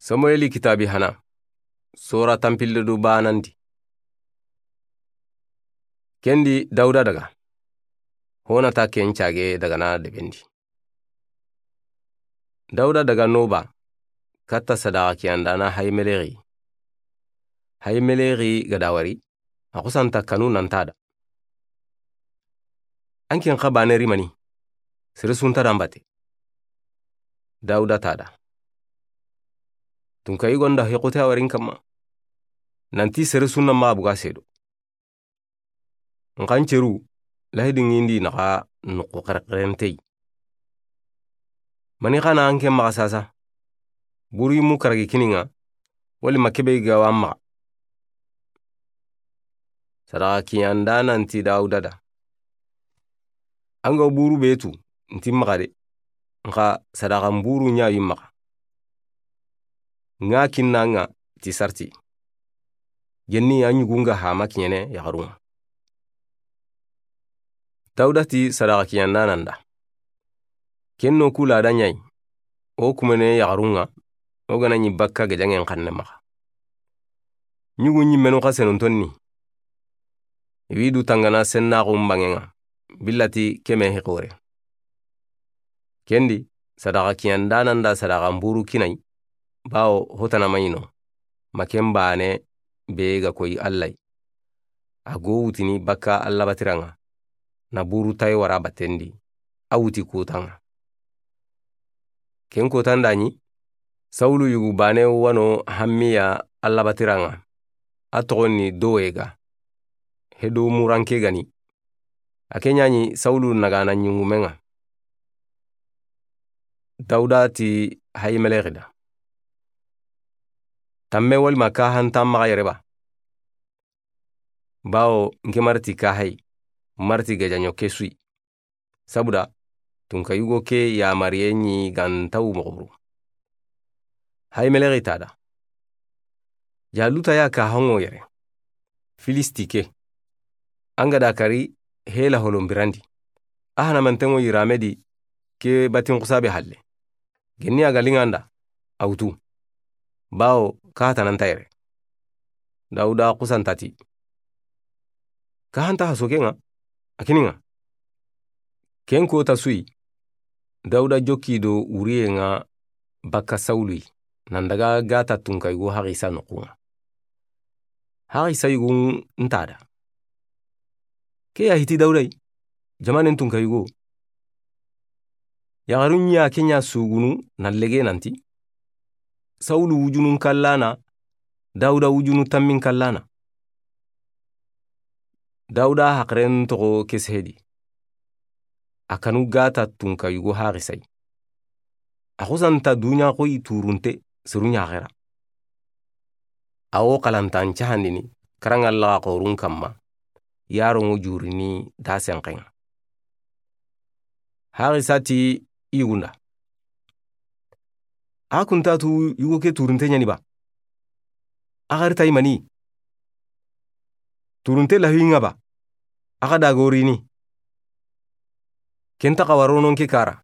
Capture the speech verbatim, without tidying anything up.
Samueli kitaabi hana, sora tanpille do baanandi. Ken di Dawuda daga, ho na ta ken caage daga na deben di. Dawuda daga Noba, katta sadaxa kiyandaana Hayimelexi. Hayimelexi ga da wari, a xusa nta kanu nan ta da. An ken xa baane ri mani, sere su nta da n bate. Dawuda ta da. Tunka yigo nda hexute a wari n kanma. Nanti sere su na maxa buga seedo. N xa n ceru, lahidi ŋindi naxa noqu xerexerentey. Mani xa na an ke maxa sasa. Buru yimu karagi kini ŋa, wali ma kebe ga wa maxa. Sadaxa kiyandaana nti Dawuda da. An ga buru be tu, nti maxa de. N xa sadaxa n buru ɲa yi maxa. Ŋa kinna ŋa ti sarti. Genni a ɲugu ŋa hama kiɲene yaxarun ŋa. Dawuda ti sadaxa kiyandaana nda. Ken no ku laada ɲa yi, o kumene yaxarun ŋa, o ga na ɲi bakka gajaŋen xanne maxa. Ɲugu ɲimmenu xa senunton ni. I wi du tangana sennaxu n banŋen ŋa, billati keme hi xore. Ken di, sadaxa kiyandaana nda sadaxa n buru kinayi, bawo hotana ma ɲi no, ma ken baane be ga koyi Alla yi. A go wutini bakka Alla batiran ŋa, na buru tayi wara batten di, a wuti kutan ŋa. Ken kotan da ɲi, Sawulu yugu baane wa no hammiya Alla batiran ŋa, a toxon ni Dowega, Hedomuranke ga ni. A ke ɲa ɲi Sawulu nagana ɲungumen ŋa. Dawuda ti Hayimelexi da. Tanme wali ma kaha nta maxa yere ba. Bawo n ke marti kahayi, marti gajaɲo ke su yi. Sabuda, tunka yugo ke yamariye ɲi ga nta wu moxo buru. Hayimelexi ta da. Jaluta ya kaha ŋo yere. Filisti ke. An ga da kari hela holon birandi. A hana manten ŋo yirame di ke batin xusabe halle. Genni a ga liŋa nda, a wutu. Bawo, kaha tana nta yere. Dawuda xusa nta ti. Kaha nta haso ke ŋa, a kini ŋa. Ken kota su yi, Dawuda jokki do wuriye ŋa bakka Sawulu yi, nan daga Gata tunka yugo Haxisa noxun ŋa. Haxisa yugun nta da. Ke ya hiti Dawuda yi, jamanen tunka yugo. Yaxarun ɲa ke ɲa sugunu na lege nanti. Sawulu wujunun kallana, Dawuda wujunu tammin kallana. Dawuda haxiren toxo ke sehedi. A kanu Gata tunka yugo Haxisa yi. A xusa nta duɲa xoyi turunte seru ɲa xera. A wo xalantan cahandini, karaŋa laxa xorun kanma, yaron ŋo jurini da senxen ŋa. Haxisa ti yugunda. A kunta tu yugo ke turunte ɲani ba. A xari tayi mani. Turunte lahi ŋa ba. A xa dagorini. Ken ta xa waronon ke kara.